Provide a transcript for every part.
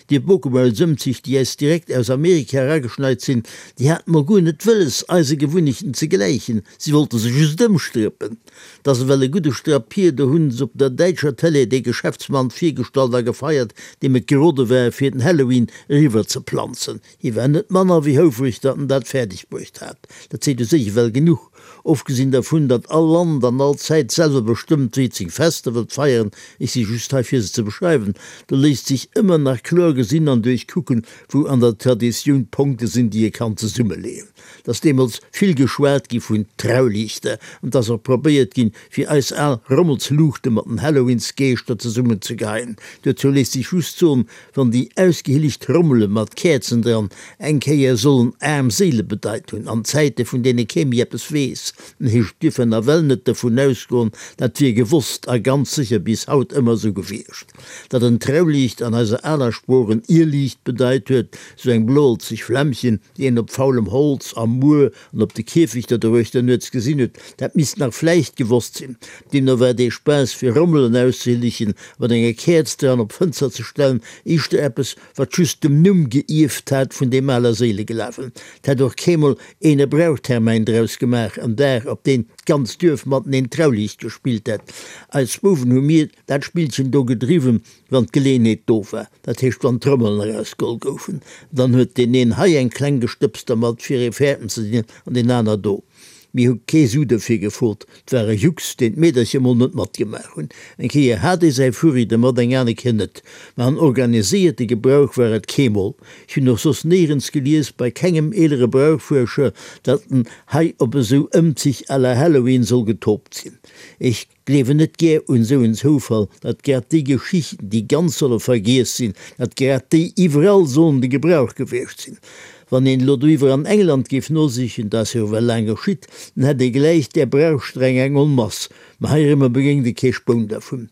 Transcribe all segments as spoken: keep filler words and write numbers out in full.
Déi Bokemuelsëmzich, déi äis direkt aus Amerika erageschneit sinn, déi haten mol guer net wëlles, eise Gewunnechten ze gläichen, si wollte se just ëmstrëppen. 't ass ewell e gudde Strapp hier, do hunn s'op der däitscher Tëlee dee Geschäftsmann virgestallt a gefeiert, deem et gerode war, fir den Halloween eriwwer ze planzen. Hie war net manner wéi houfreg, datt en dat fäerdeg bruecht hat. Dat seet u sech ewell genuch. Ofgesinn dervun, datt all Land an all Zäit selwer bestëmmt, wéi et seng Fester wëllt feieren, ech si just hei fir se ze beschreiwen, do léisst sech ëmmer nach kloer gesinn an duerchkucken, wou an der Traditioun d'Ponkte sinn, déi ee kann zesummeleeën. 't ass deemools vill geschwat gi vun Trauliichter an 't ass och probéiert ginn, fir eis al Rommelsluuchte mat den Halloweensgeeschter zesummenzegeheien. Dozou léisst sech just soen, Wann déi ausgehillegt Rommele mat Käerzen dran eng Kéier sollen aarm Séile bedeit hunn, an Zäite vun deene kee méi eppes weess, dann heescht et dierf een nawell net dervun ausgoen, dat wier gewosst a ganz sécher bis haut ëmmer esou gewiescht. Datt en Trauliicht an eiser aler Sprooch en Irrliicht bedeit huet, sou eng bloelzeg Flämmchen, déi een op faulem Holz, am Muer an op de Kierfechter doruechter nuets gesinn huet, dat misst nach vläicht gewosst sinn. Deemno war dee Spaass, fir Rommelen auszehillegen a mat enger Käerz dran op d'Fënster ze stellen, éischter eppes, wat just dem Numm geierft hat vun deem Allerséileglawen. 't hätt och keemol een e Brauchtermäin draus gemaach, en Dag, op deen d'ganzt Duerf mateneen Trauliicht gespillt hätt. Als Bouwen hu mir dat Spillchen do gedriwwen, wann d'Geleeënheet do war, dat heescht, wann d'Trommelen erausgeholl goufen. Dann huet deen een hei eng kleng gestëbst dermat, fir ee fäerten ze dinn, an deen aner do. Mir hu kee Su derfir gefrot, 't war e Jux, deen d'Meedercher mol net matgemaach hunn. Eng Kéier hat ee säi Furri dermat, eng aner Kéier net. Ma en organiséierte Gebrauch war et keemol. Ech hunn och soss néierens gelies, bei kengem eelere Brauchfuerscher, datt en hei op esou Ëmzich à la Halloween soll getoopt sinn. Ech gleewen net gär un esou en Zoufall, datt grad déi Geschichten, déi ganz solle vergiess sinn, datt grad déi iwwerall sollen de Gebrauch gewiescht sinn. Wann een elo doiwwer an England géif nosichen, dat ass jo ewell laang geschitt, dann hätt ee gläich där Brauchstreng eng Onmass, mä heirëmmer begéingt ee kee Spoun dervun.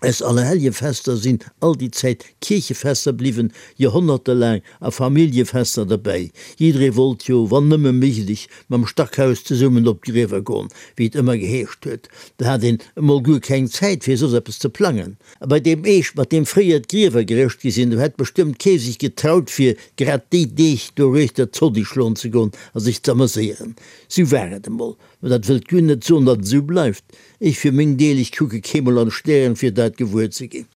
Eis Allerhelljefester sinn all déi Zäit Kierchefester bliwwen, Joerhonnerte laang, a Familljefester derbäi. Jidderee wollt jo, wann nëmme méiglech, mam Stackhaus zesummen op d'Griewer goen, wéi et ëmmer geheescht huet. Da hat een emol guer keng Zäit, fir soss eppes ze plangen. A bei deem Eescht, mat deem fréier d'Griewer gerëscht gi sinn, do hätt bestëmmt kee sech getraut, fir grad déi Deeg doruechter Zodi schloen ze goen a sech z'ameséieren. Sou war et emol. Mä dat wëllt guer net soen, datt et esou bleift. Ech fir meng Deel, ech kucke keemol an d'Stären, fir dat gewuer ze ginn.